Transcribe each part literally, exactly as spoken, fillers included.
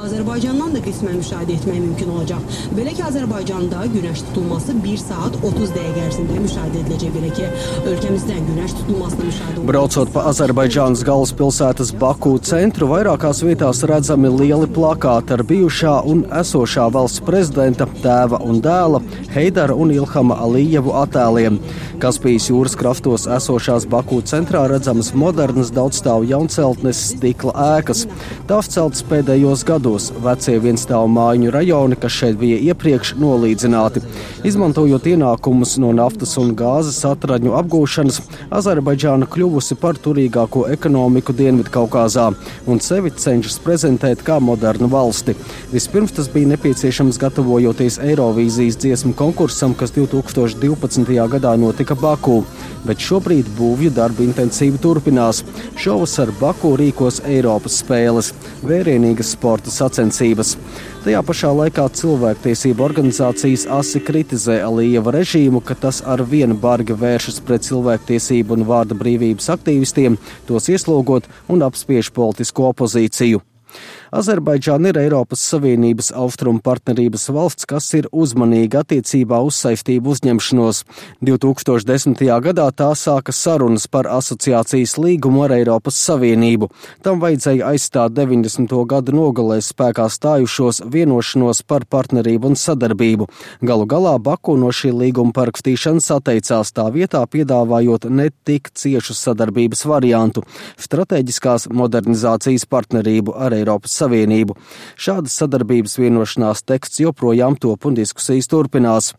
Azərbaycandan da qismən müşahidə etmək mümkün olacaq. Belə ki, Azərbaycanda günəş tutulması bir saat otuz dəqiqə ərzində müşahidə ediləcək. Belə ki, ölkəmizdən günəş tutulmasına müşahidə olacaq. Braucot pa Azerbaidžānas galvaspilsētas Baku centru, vairākās vietās redzami lieli plakāti ar bijušā un esošā valsts prezidenta, tēva un dēla, Heidara un Ilhama Alijevu attēliem. Kaspijas jūras krastos esošās Baku centrā redzamas modernas daudzstāvu jaunceltnes stikla ēkas. Tās celtas pēdējos gados. Vecie vienstāvu mājiņu rajoni, kas šeit bija iepriekš, nolīdzināti. Izmantojot ienākumus no naftas un gāzes atradņu apgūšanas, Azerbaidžāna kļuvusi par turīgāko ekonomiku Dienvidkaukāzā un sevi cenšas prezentēt kā modernu valsti. Vispirms tas bija nepieciešams gatavojoties Eirovīzijas dziesmu konkursam, kas divi tūkstoši divpadsmitajā gadā notika Baku, bet šobrīd būvju darbi intensīvi turpinās. Šovasar Baku rīkos Eiropas spēles, vērienīgas sporta sacensības. Tajā pašā laikā cilvēktiesību organizācijas asi kritizē Alijeva režīmu, ka tas ar vienu bargi vēršas pret cilvēktiesību un vārda brīvības aktīvistiem, tos ieslūgot un apspiež politisko opozīciju. Azerbaidžāna ir Eiropas Savienības austrumu partnerības valsts, kas ir uzmanīga attiecībā uz saistību uzņemšanos. divi tūkstoši desmitajā gadā tā sāka sarunas par asociācijas līgumu ar Eiropas Savienību. Tam vajadzēja aizstāt deviņdesmito gadu nogalē spēkā stājušos vienošanos par partnerību un sadarbību. Galu galā Baku no šī līguma parakstīšanas atteicās, tā vietā piedāvājot ne tik ciešu sadarbības variantu – strateģiskās modernizācijas partnerību ar Eiropas Savienību. Šādas sadarbības vienošanās teksts joprojām top un diskusijas turpinās.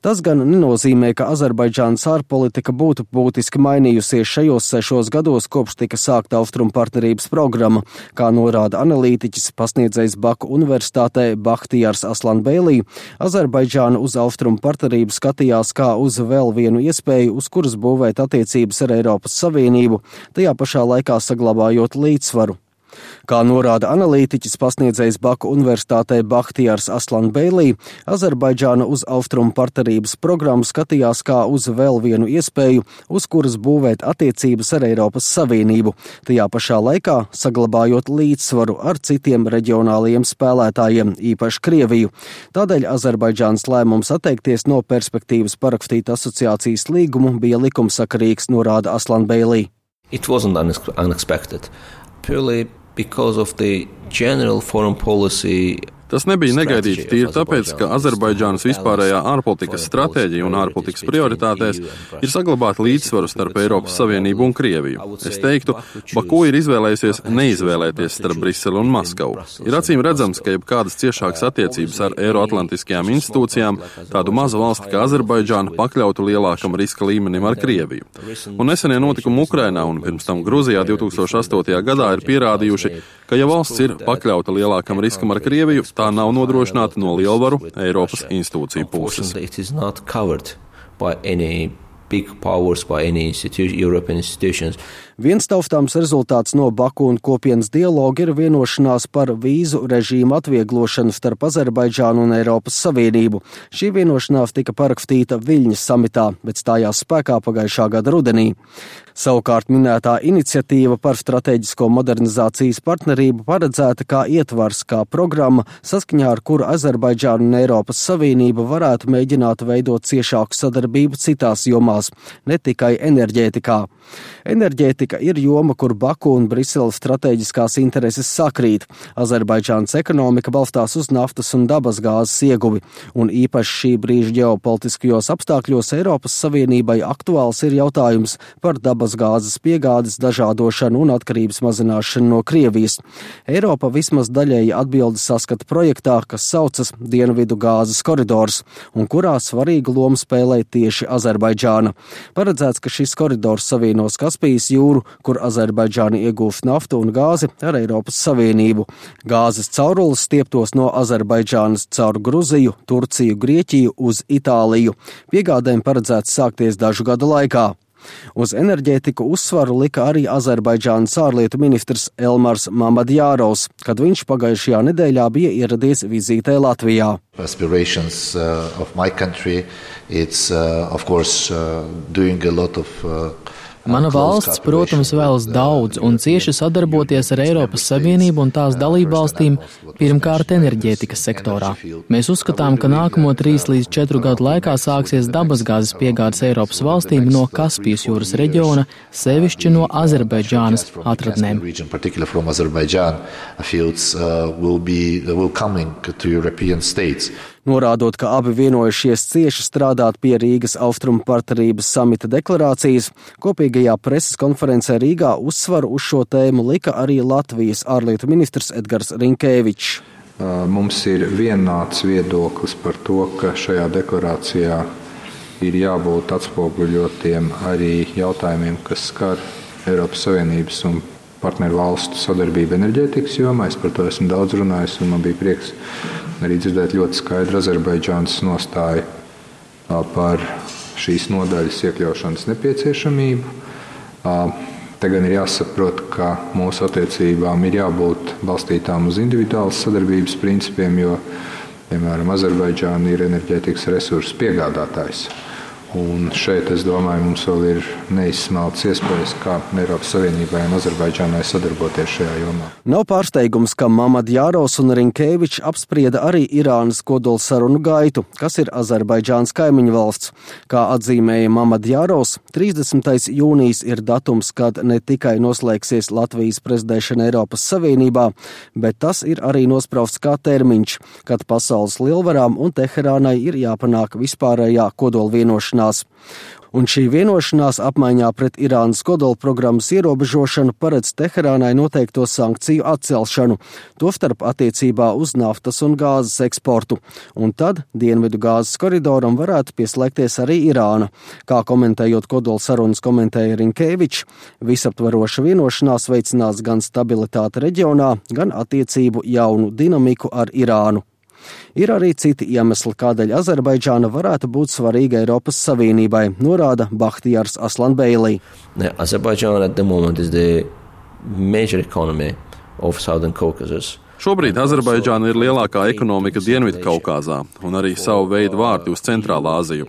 Tas gan nenozīmē, ka Azerbaidžānas ārpolitika būtu būtiski mainījusies šajos sešos gados, kopš tika sākta austrumu partnerības programma, kā norāda analītiķis, pasniedzējs Baku universitātē Bahtijars Aslanbēlī. Azerbaidžāna uz austrumu partnerību skatījās kā uz vēl vienu iespēju, uz kuras būvēt attiecības ar Eiropas Savienību, tajā pašā laikā saglabājot līdzsvaru. Kā norāda analītiķis, pasniedzējs Baku universitātē Bahtijars Aslanbēlī, Azerbaidžāna uz austrumu partnerības programmu skatījās kā uz vēl vienu iespēju, uz kuras būvēt attiecības ar Eiropas Savienību, tajā pašā laikā saglabājot līdzsvaru ar citiem reģionālajiem spēlētājiem, īpaši Krieviju. Tādēļ Azerbaidžānas lēmums atteikties no perspektīvas parakstīt asociācijas līgumu bija likumsakarīgs, norāda Aslanbēlī. It wasn't unexpected. Purely because of the general foreign policy. Tas nebija negaidīts tīri tāpēc, ka Azerbaidžānas vispārējā ārpolitikas stratēģija un ārpolitikas prioritātēs ir saglabāt līdzsvaru starp Eiropas Savienību un Krieviju. Es teiktu, Baku ir izvēlējusies neizvēlēties starp Briseli un Maskavu. Ir acīm redzams, ka jebkādas ciešākas attiecības ar eiroatlantiskajām institūcijām tādu mazu valsti kā Azerbaidžāna pakļautu lielākam riska līmenim ar Krieviju. Un nesenie notikumi Ukrainā un pirms tam Gruzijā divi tūkstoši astotajā gadā ir pierādījuši, ka ja valsts ir pakļauta lielākam riskam ar Krieviju, tā nav nodrošināta no lielvaru Eiropas institūciju puses. Viens taustāms rezultāts no Baku un kopienas dialoga ir vienošanās par vīzu režīmu atvieglošanu starp Azerbaidžānu un Eiropas Savienību. Šī vienošanās tika parakstīta Viļņas samitā, bet stājās spēkā pagājušā gada rudenī. Savukārt minētā iniciatīva par strateģisko modernizācijas partnerību paredzēta kā ietvars, kā programma, saskaņā ar kuru Azerbaidžāna un Eiropas Savienība varētu mēģināt veidot ciešāku sadarbību citās jomās, ne tikai enerģētikā. Enerģētika ir joma, kur Baku un Briseles strateģiskās intereses sakrīt. Azerbaidžānas ekonomika balstās uz naftas un dabasgāzes ieguvi, un īpaši šī brīža ģeopolitiskajos apstākļos Eiropas Savienībai aktuāls ir jautājums par dabasgāzes piegādes dažādošanu un atkarības mazināšanu no Krievijas. Eiropa vismaz daļēji atbildi saskata projektā, kas saucas Dienvidu gāzes koridors, un kurā svarīgu lomu spēlē tieši Azerbaidžāna. Paredzēts, ka šis koridors savienos Kaspijas jūru, kur Azerbaidžāna iegūst naftu un gāzi ar Eiropas Savienību. Gāzes caurules stieptos no Azerbaidžānas caur Gruziju, Turciju, Grieķiju uz Itāliju. Piegādēm paredzēts sākties dažu gadu laikā. Uz enerģētiku uzsvaru lika arī Azerbaidžānas ārlietu ministrs Elmars Mamadjārovs, kad viņš pagājušajā nedēļā bija ieradies vizītē Latvijā. Aspirations uh, of my country, it's uh, of course uh, doing a lot of uh, Mana valsts, protams, vēlas daudz un cieši sadarboties ar Eiropas Savienību un tās dalībvalstīm, pirmkārt enerģētikas sektorā. Mēs uzskatām, ka nākamo trīs līdz četru gadu laikā sāksies dabasgāzes piegādes Eiropas valstīm no Kaspijas jūras reģiona, sevišķi no Azerbaidžānas atradnēm. Norādot, ka abi vienojušies cieši strādāt pie Rīgas Austrumu partnerības samita deklarācijas, kopīgajā preses konferencē Rīgā uzsvaru uz šo tēmu lika arī Latvijas ārlietu ministrs Edgars Rinkēvičs. Mums ir vienāds viedoklis par to, ka šajā deklarācijā ir jābūt atspoguļotiem arī jautājumiem, kas skar Eiropas Savienības un partneru valstu sadarbību enerģētikas jomā. Es par to esmu daudz runājis, un man bija prieks arī dzirdēt ļoti skaidru Azerbaidžānas nostāju par šīs nodaļas iekļaušanas nepieciešamību. Te gan ir jāsaprot, ka mūsu attiecībām ir jābūt balstītām uz individuālas sadarbības principiem, jo, piemēram, Azerbaidžāna ir enerģētikas resursu piegādātājs. Un šeit, es domāju, mums vēl ir neizsmeltas iespējas, kā Eiropas Savienībai un Azerbaidžānai sadarboties šajā jomā. Nav pārsteigums, ka Mamadjarovs un Rinkēvičs apsprieda arī Irānas kodolsarunu gaitu, kas ir Azerbaidžānas kaimiņu valsts. Kā atzīmēja Mamadjarovs, trīsdesmitais jūnijas ir datums, kad ne tikai noslēgsies Latvijas prezidēšana Eiropas Savienībā, bet tas ir arī nosprausts kā termiņš, kad pasaules lielvarām un Teherānai ir jāpanāk vispārējā kodolvienošanās. Un šī vienošanās apmaiņā pret Irānas kodola programmas ierobežošanu paredz Teherānai noteikto sankciju atcelšanu, tostarp attiecībā uz naftas un gāzes eksportu. Un tad dienvidu gāzes koridoram varētu pieslēgties arī Irāna. Kā komentējot kodola sarunas komentēja Rinkēvičs, visaptveroša vienošanās veicinās gan stabilitāti reģionā, gan attiecību jaunu dinamiku ar Irānu. Ir arī citi iemesli, kādēļ Azerbaidžāna varētu būt svarīga Eiropas Savienībai, norāda Bahtijars Aslanbeilī. Azerbaidžāna at the moment is the major economy of Southern Caucasus. Šobrīd Azerbaidžāna ir lielākā ekonomika Dienvidkaukāzā un arī savu veidu vārti uz Centrālā Aziju.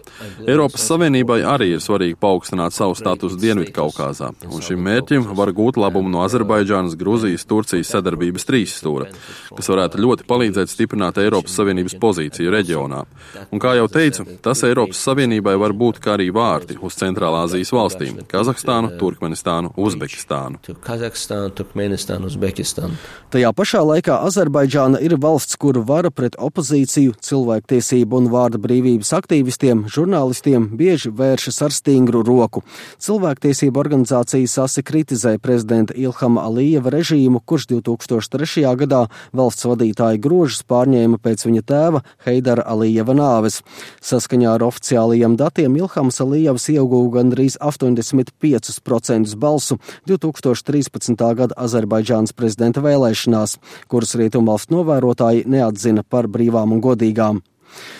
Eiropas Savienībai arī ir svarīgi paaugstināt savu statusu Dienvidkaukāzā, un šim mērķim var gūt labumu no Azerbaidžānas, Gruzijas, Turcijas sadarbības trīsstūra, kas varētu ļoti palīdzēt stiprināt Eiropas Savienības pozīciju reģionā. Un kā jau teicu, tas Eiropas Savienībai var būt kā arī vārti uz Centrālā Azijas valstīm – Kazahstānu, Turkmenistānu, Uzbekistānu. Kazahstānu, Turkmenistānu, Uzbekistānu. Tajā pašā laikā Azerbaidžāna ir valsts, kuru vara pret opozīciju, cilvēktiesību un vārda brīvības aktīvistiem, žurnālistiem bieži vēršas ar stingru roku. Cilvēktiesību organizācijas asi kritizē prezidenta Ilhama Alijeva režīmu, kurš divi tūkstoši trešajā gadā valsts vadītāja grožus pārņēma pēc viņa tēva Heidara Alijeva nāves. Saskaņā ar oficiālajiem datiem Ilhams Alijevs ieguva gandrīz astoņdesmit piecus procentus balsu divi tūkstoši trīspadsmitā gada Azerbaidžānas prezidenta vēlēšanās, kuras rietumvalstu novērotāji neatzina par brīvām un godīgām.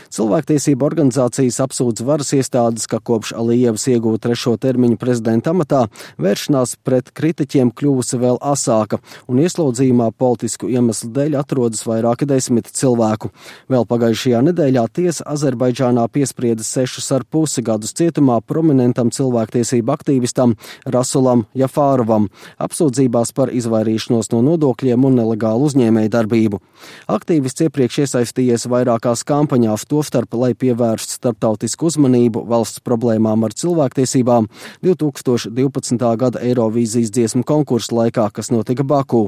Cilvēktiesība organizācijas apsūdz varas iestādes, ka kopš Alijevs ieguva trešo termiņu prezidenta amatā, vēršanās pret kritiķiem kļuvusi vēl asāka, un ieslodzījumā politisku iemeslu dēļ atrodas vairāki desmit cilvēku. Vēl pagājušajā nedēļā tiesa Azerbaidžānā piesprieda sešus ar pusi gadus cietumā prominentam cilvēktiesību aktīvistam Rasulam Jafārovam, apsūdzībās par izvairīšanos no nodokļiem un nelegālu uzņēmēju darbību. Aktīvists iepriekš iesaistījies vairākās kampaņās, tostarp, lai pievērstu starptautisku uzmanību valsts problēmām ar cilvēktiesībām divi tūkstoši divpadsmitā gada Eirovīzijas dziesmu konkursa laikā, kas notika Baku.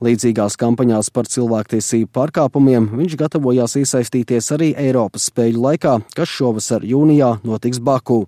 Līdzīgās kampaņās par cilvēktiesību pārkāpumiem viņš gatavojās iesaistīties arī Eiropas spēļu laikā, kas šovasar jūnijā notiks Baku.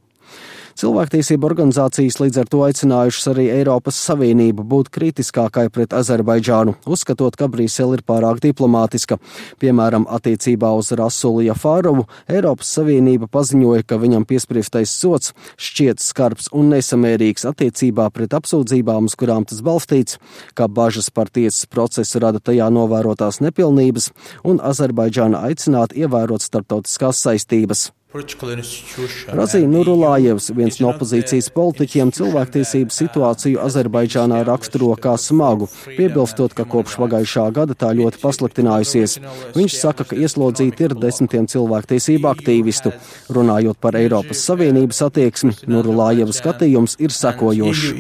Cilvēktiesību organizācijas līdz ar to aicinājušas arī Eiropas Savienību būt kritiskākai pret Azerbaidžānu, uzskatot, ka Brisele ir pārāk diplomātiska. Piemēram, attiecībā uz Rasulu Jafārovu Eiropas Savienība paziņoja, ka viņam piespriestais sods šķiet skarbs un nesamērīgs attiecībā pret apsūdzībām, uz kurām tas balstīts, ka bažas par tiesas procesu rada tajā novērotās nepilnības un Azerbaidžāna aicināt ievērot starptautiskās saistības. Razī Nurulājevs, viens no opozīcijas politiķiem, cilvēktiesību situāciju Azerbaidžānā raksturo kā smagu, piebilstot, ka kopš pagājušā gada tā ļoti pasliktinājusies. Viņš saka, ka ieslodzīti ir desmitiem cilvēktiesību aktīvistu. Runājot par Eiropas Savienības attieksmi, Nurulājeva skatījums ir sekojošs.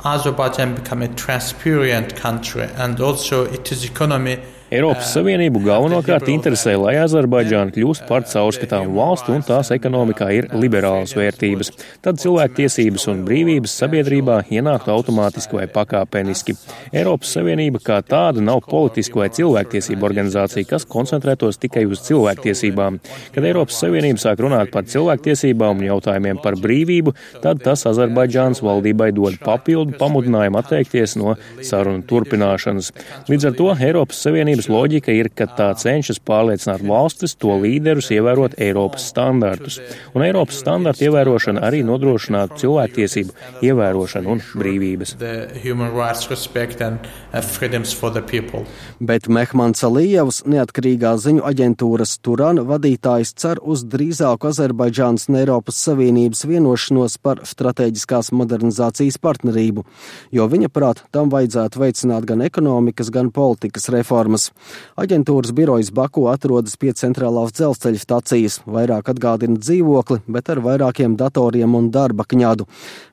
Azerbaijan become a transparent country and also it is economy. Eiropas Savienību galvenokārt interesē, lai Azerbaidžāna kļūst par caurskatāmu valstu un tās ekonomikā ir liberālas vērtības. Tad cilvēktiesības un brīvības sabiedrībā ienāktu automātiski vai pakāpeniski. Eiropas Savienība kā tāda nav politisku vai cilvēktiesību organizācija, kas koncentrētos tikai uz cilvēktiesībām. Kad Eiropas Savienība sāk runāt par cilvēktiesībām un jautājumiem par brīvību, tad tas Azerbaidžānas valdībai dod papildu pamudinājumu atteikties no sarunu turpināšanas. Līdz ar to Eiropas Savienības loģika ir, ka tā cenšas pārliecināt valstis to līderus ievērot Eiropas standartus. Un Eiropas standartu ievērošana arī nodrošinātu cilvēktiesību ievērošanu un brīvības. Bet Mehmans Alijevs, neatkarīgā ziņu aģentūras Turan vadītājs, cer uz drīzāku Azerbaidžānas un Eiropas Savienības vienošanos par strateģiskās modernizācijas partnerību, jo viņa prāt tam vajadzētu veicināt gan ekonomikas, gan politikas reformas. Aģentūras birojas Baku atrodas pie centrālās dzelzceļa stacijas, vairāk atgādina dzīvokli, bet ar vairākiem datoriem un darba kņadu.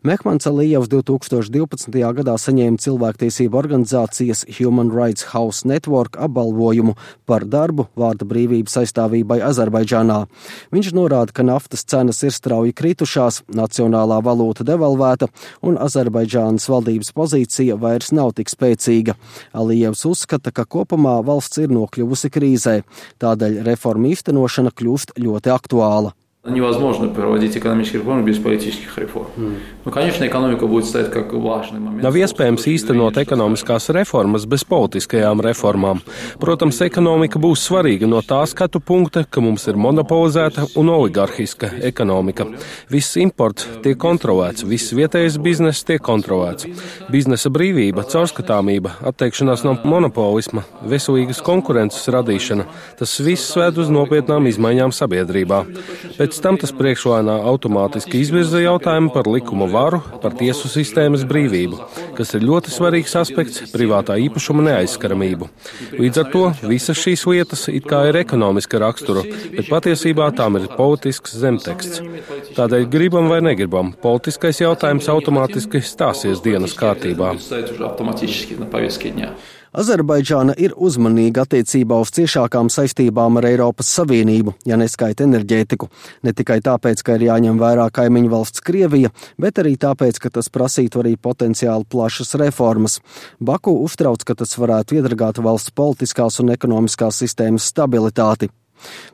Mehmans Alijevs divi tūkstoši divpadsmitajā gadā saņēma cilvēktiesību organizācijas Human Rights House Network apbalvojumu par darbu vārda brīvības aizstāvībai Azerbaidžānā. Viņš norāda, ka naftas cenas ir strauji kritušās, nacionālā valūta devalvēta un Azerbaidžānas valdības pozīcija vairs nav tik spēcīga. Alijevs uzskata, ka kopumā valsts ir nokļuvusi krīzē, tādēļ reformu īstenošana kļūst ļoti aktuāla. Невозможно проводить экономические реформы без политических реформ. Mm. Nu, конечно, экономика будет стоять как важный момент. Nav iespējams īstenot ekonomiskās reformas bez politiskajām reformām. Protams, ekonomika būs svarīga no tā skatu punkta, ka mums ir monopolizēta un oligarhiska ekonomika. Viss imports tiek kontrolēts, viss vietējais bizness tiek kontrolēts. Biznesa brīvība, caurskatāmība, atteikšanās no monopolisma, veselīgas konkurences radīšana, tas viss ved uz nopietnām izmaiņām sabiedrībā. Pēc tam tas priekšlēnā automātiski izvirza jautājumu par likuma varu, par tiesu sistēmas brīvību, kas ir ļoti svarīgs aspekts privātā īpašuma neaizskaramību. Līdz ar to visas šīs lietas it kā ir ekonomiska rakstura, bet patiesībā tām ir politisks zemteksts. Tādēļ gribam vai negribam, politiskais jautājums automātiski stāsies dienas kārtībā. Azerbaidžāna ir uzmanīga attiecībā uz ciešākām saistībām ar Eiropas Savienību, ja neskaita enerģētiku. Ne tikai tāpēc, ka ir jāņem vērā kaimiņu valsts Krievija, bet arī tāpēc, ka tas prasītu arī potenciāli plašas reformas. Baku uztrauc, ka tas varētu iedragāt valsts politiskās un ekonomiskās sistēmas stabilitāti.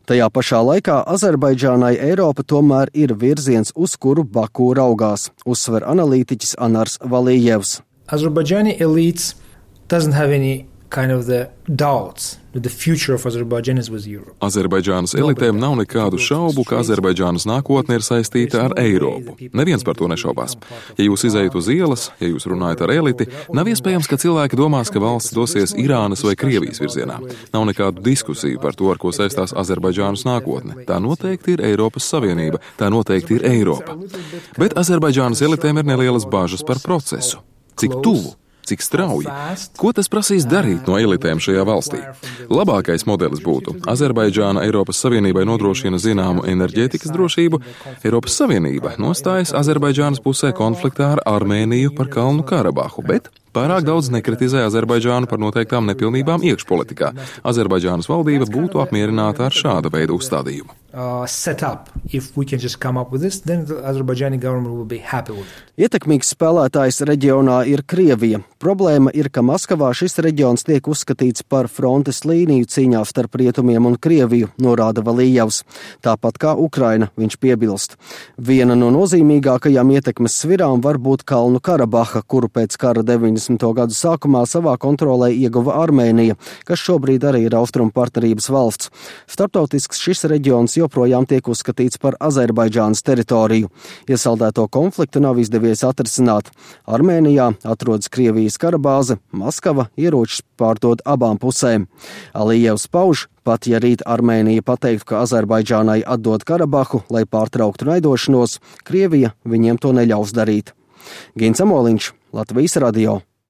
Tajā pašā laikā Azerbaidžānai Eiropa tomēr ir virziens, uz kuru Baku raugās, uzsver analītiķis Anars Valijevs. Azerbaidžāni elites doesn't have any kind of the doubts that the future of Azerbaijan is with Europe. Azerbaidžānas elitēm nav nekādu šaubu, ka Azerbaidžānas nākotne ir saistīta ar Eiropu. Neviens par to nešaubās. Ja jūs izejat uz ielas, ja jūs runājat ar eliti, nav iespējams, ka cilvēki domās, ka valsts dosies Irānas vai Krievijas virzienā. Nav nekādu diskusiju par to, ar ko saistās Azerbaidžānas nākotne. Tā noteikti ir Eiropas Savienība, tā noteikti ir Eiropa. Bet Azerbaidžānas elitēm ir nelielas bažas par procesu. Cik tuvu? Cik strauji? Ko tas prasīs darīt no elitēm šajā valstī? Labākais modelis būtu: Azerbaidžāna Eiropas Savienībai nodrošina zināmu enerģētikas drošību, Eiropas Savienība nostājas Azerbaidžānas pusē konfliktā ar Armēniju par Kalnu Karabahu, bet pārāk daudz nekritizē Azerbaidžānu par noteiktām nepilnībām iekšpolitikā. Azerbaidžānas valdība būtu apmierināta ar šāda veida uzstādījumu. Uh, set up. If we can just come up with this, then the Azerbaijani government will be happy with it. Ietekmīgs spēlētājs reģionā ir Krievija. Problēma ir, ka Maskavā šis reģions tiek uzskatīts par frontes līniju cīņā starp Rietumiem un Krieviju, norāda Valijevs. Tāpat kā Ukraina, viņš piebilst. Viena no nozīmīgākajām ietekmes svirām var būt Kalnu Karabaha, kuru pēc kara deviņdesmit divdesmito gadu sākumā savā kontrolē ieguva Armēnija, kas šobrīd arī ir austrumu partnerības valsts. Starptautisks šis reģions joprojām tiek uzskatīts par Azerbaidžānas teritoriju. Iesaldēto konfliktu nav izdevies atrisināt. Armēnijā atrodas Krievijas karabāze, Maskava ieročus pārdod abām pusēm. Alijevs pauž, pat ja rīt Armēnija pateiktu, ka Azerbaidžānai atdod Karabahu, lai pārtrauktu naidošanos, Krievija viņiem to neļaus darīt. Gins Amoliņš, Latvijas radio.